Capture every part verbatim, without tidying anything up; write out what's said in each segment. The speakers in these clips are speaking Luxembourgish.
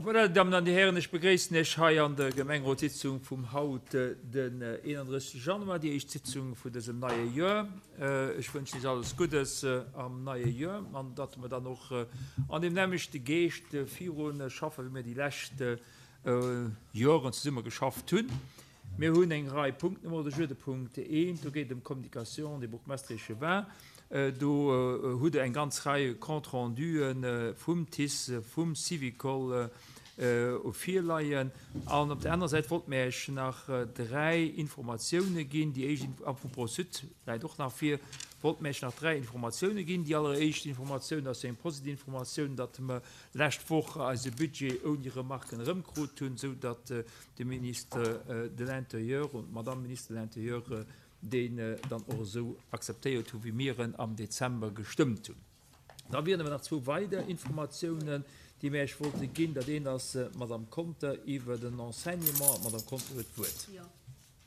Voilà, Damen an Dir Hären, ech begréissen Iech hei an der Gemengerotssitzung vum haut, den eenandrëssegste Januar, déi éischt Sitzung vun dësem neie Joer. Ech wënschen Iech alles Guddes am neie Joer an datt mer dann och an deem nämmlechte Geescht viru schaffen, wéi mir déi lescht Joren zesumme geschafft hunn. Mir hunn eng Rei Punkten um Ordre du jour. De Punkt eent, do geet et ëm d'Communication des bourgmestres et échevins. Do hutt Der eng ganz Rei Compte-renduen vum T I C E, vum Syvicol virleien. An op der anerer Säit wollt mir Iech nach dräi Informatioune ginn. Déi éischt, a vum ProSud läit och nach vir, wollt mir Iech nach dräi Informatioune ginn. Déi alleréischt Informatioun ass eng positiv Informatioun, datt mer lescht Woch eise Budget ouni Remarken erëmkrut hunn, sou datt de Ministre de l'Intérieur und d'Madame Ministre de l'Intérieur deen dann och esou akzeptéiert hu wéi mir en am Dezember gestëmmt hunn. Da wieren awer nach zwou weider Informatiounen, déi mir Iech wollte ginn. Dat eent ass d'Madame Conter iwwer den Enseignement. D'Madame Conter huet d'Wuert. Jo,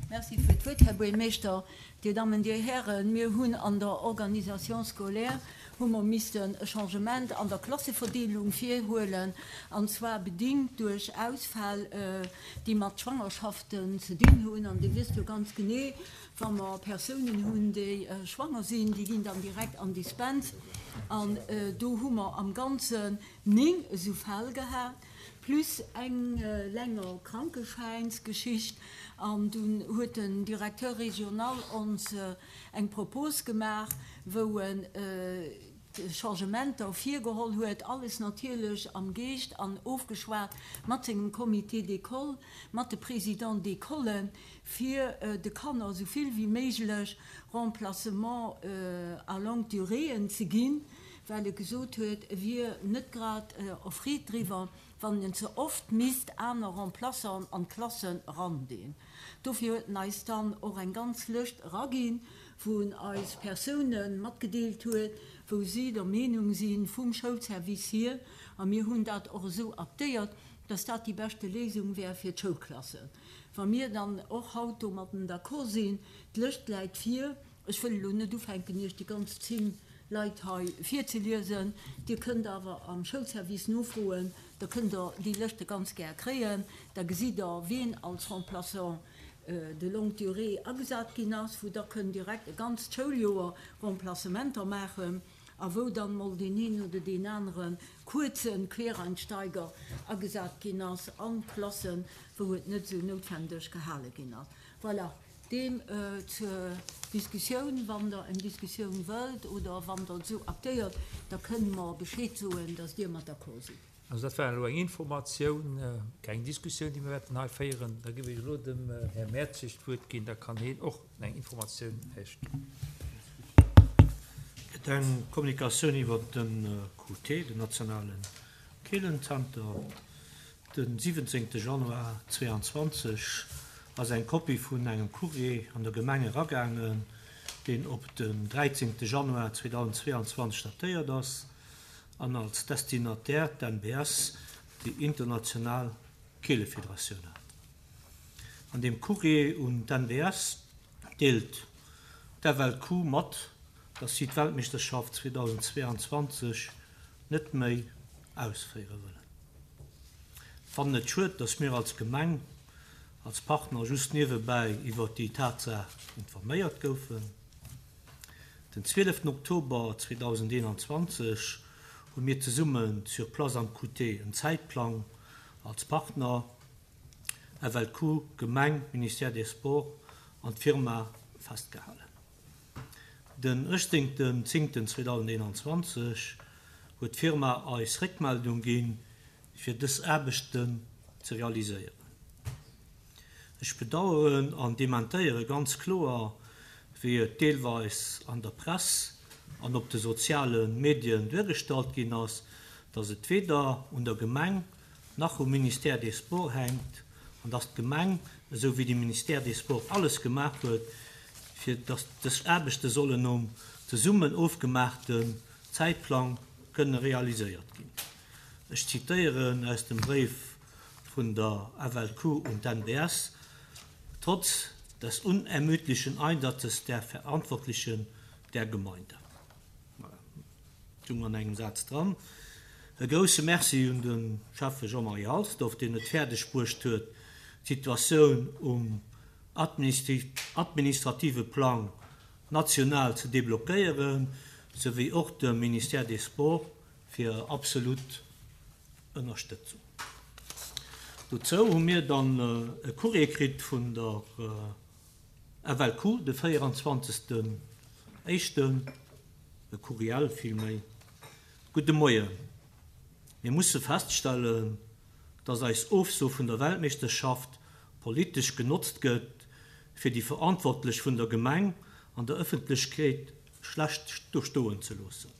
merci fir d'Wuert, Här Buergermeeschter. Dir Dammen, Dir Hären, mir hunn an der Organisation scolaire hu mer missten e Changement an der Klasseverdeelung virhuelen, an zwar bedingt duerch Ausfäll, déi mat Schwangerschaften ze dinn hunn. An Dir wësst jo ganz genee, wa mer Persounen hunn, déi schwanger sinn, déi ginn dann direkt an Dispens. An do hu mer am Ganzen néng esou Fäll gehat, plus eng länger Krankeschäinsgeschicht. An dunn huet den Directeur régional ons eng Propos gemaach, wou en Changementer virgeholl huet, alles natierlech am Geescht an ofgeschwat mat sengem Comité d'école, mat de Présidents d'école, fir de Kanner esou vill wéi méiglech Remplacement à longue duréeën ze ginn, well e gesot huet, e wier net grad erfreet driwwer, wann en ze oft misst aner Remplaçanten an d'Klassen erandeen. Dofir huet en eis dann och eng ganz Lëscht eraginn, wou en eis Persoune matgedeelt huet, wou si der Meenung si vum Schoulservice hier, a mir hunn dat och esou aktéiert, dass dat déi beschte Léisung wär fir d'Schoulklassen. Wa mir dann och haut domatten d'accord sinn, d'Lëscht läit vir, ech wëll elo net ufänken, Iech déi ganz zéng Leit hei virzeliesen, Dir kënnt awer am Schoulservice nofroen, da kënnt Der déi Lëschte ganz gär kréien, da gesitt Der, wien als Remplaçant de longue durée agesat ginn ass, wou Der kënnt direkt e ganzt Schouljoer Remplacementer maachen a wou dann mol deen een oder deen anere kuerze Quereinsteiger agesat ginn ass an Klassen, wou et net esou noutwendeg gehale ginn ass. Voilà, deem zur Diskussioun. Wann Der eng Diskussioun wëllt oder wann Der et esou aktéiert, da kënne mer Bescheed soen, dass Dir mat d'accord sidd. Also dat war elo eng Informatioun, keng Diskussioun, déi mir wäerten hei féieren. Da géif ech elo dem Här Mertzig d'Wuert ginn, da kann hien och eng Informatioun Iech ginn. Et eng Kommunikatioun iwwer de Q T, den nationale Keelenzenter. Den siwwenzéngte Januar zweeanzwanzeg ass eng Kopie vun engem Courrier an der Gemeng eragaangen, deen op den dräizéngte Januar zweedausendzweeanzwanzeg datéiert ass an als Destinataire d'N B S, déi international Keelefederatioun, hat. An deem Courrier un d'N B S deelt d'F L Q mat, dass si d'Weltmeeschterschaft zweedausendzweeanzwanzeg net méi ausféiere wëllen. Fannen et schued, dass mir als Gemeng, als Partner just niewebäi iwwer déi Tatsaach informéiert goufen. Den zwieleften Oktober zweedausendeenanzwanzeg hu mir zesummen sur place am Q T en Zäitplang als Partner F L Q, Gemeng, Ministère des Sports an d'Firma festgehalen. Den uechtzéngten zéngten zweedausendeenanzwanzeg huet d'Firma eis Réckmeldung ginn, fir dës Aarbechten ze realiséieren. Ech bedaueren an dementéiere ganz kloer, wéi et deelweis an der Press an op de soziale Medien duergestallt ginn ass, dass et weder un der Gemeng nach um Ministère des Sports hänkt an dass d'Gemeng, esou wéi de Ministère des Sports, alles gemaach huet, fir dass dës Aarbechte sollen nom zesummen ofgemaachten Zäitplang kënne realiséiert ginn. Ech zitéieren aus dem Bréif vun der F L Q un d'N B S: Trotz des unermüdlichen Einsatzes der Verantwortlichen der Gemeinde. Voilà. Tung an engem Saz dran. E grousse Merci un de Schäffe Jean-Marie Halsdorf, deen et fäerdeg bruecht huet, d'Situatioun um administrative Plang national ze deblockéieren, souwéi och dem Ministère des Sports fir hir absolut Ënnerstëtzung. Dozou hu mir dann e Courrier kritt vun der F L Q de véieranzwanzegsten éischten, e Courriel villméi. Gudde Moien. Mir musse feststellen, dass eis Ofso vun der Weltmeeschterschaft politesch genotzt gëtt, fir déi Verantwortlech vun der Gemeng an der Ëffentlechkeet schlecht dostoen ze loossen.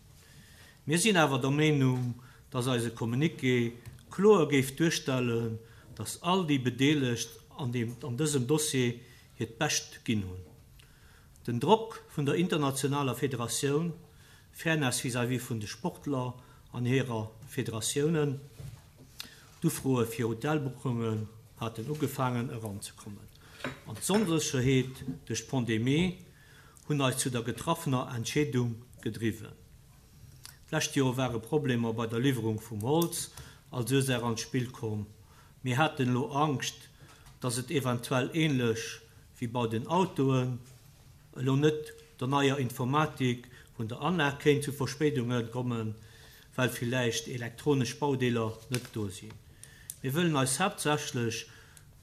Mir sinn awer der Meenung, dass eise Communiqué kloer géif duerstellen, dass all déi Bedeelegt an deem an dësem Dossier hiert Bescht ginn hunn. Den Drock vun der internationaler Federatioun, Fairness vis-à-vis vun de Sportler an hirer Federatiounen, d'Ufroe fir Hotelbuchungen haten ugefaangen eranzekommen, an d'Onsécherheet duerch d'Pandemie hunn eis zu der getraffener Entscheedung gedriwwen. D'lescht Joer ware Problemer bei der Liwwerung vum Holz als Ursaach an d'Spill komm. Mir haten elo Angscht, dass et eventuell änlech wéi bei den Autoen, elo net der neier Informatik vun der Anlag, kéint zu Verspéidunge kommen, well villäicht elektronesch Baudeeler net do sinn. Mir wëllen eis haaptsächlech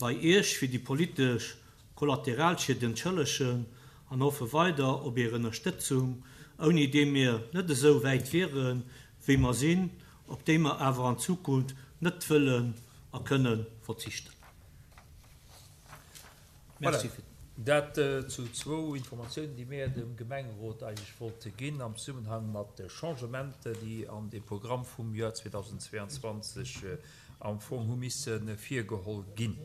bei Iech fir déi politesch Kollateralschied entschëllegen an hoffe weider op Är Ënnerstëtzung, ouni déi mir net esou wäit wieren, wéi mer sinn, op déi mer awer an Zukunft net wëllen a kënne verzichten. Voilà. Merci fir. Dat zu zwou Informatiounen, déi mir dem Gemengerot eigentlech wollte ginn am Zesummenhang mat de Changementer, déi an dem Programm vum Joer zweedausendzweeanzwanzeg am Fong hu misse virgeholl ginn.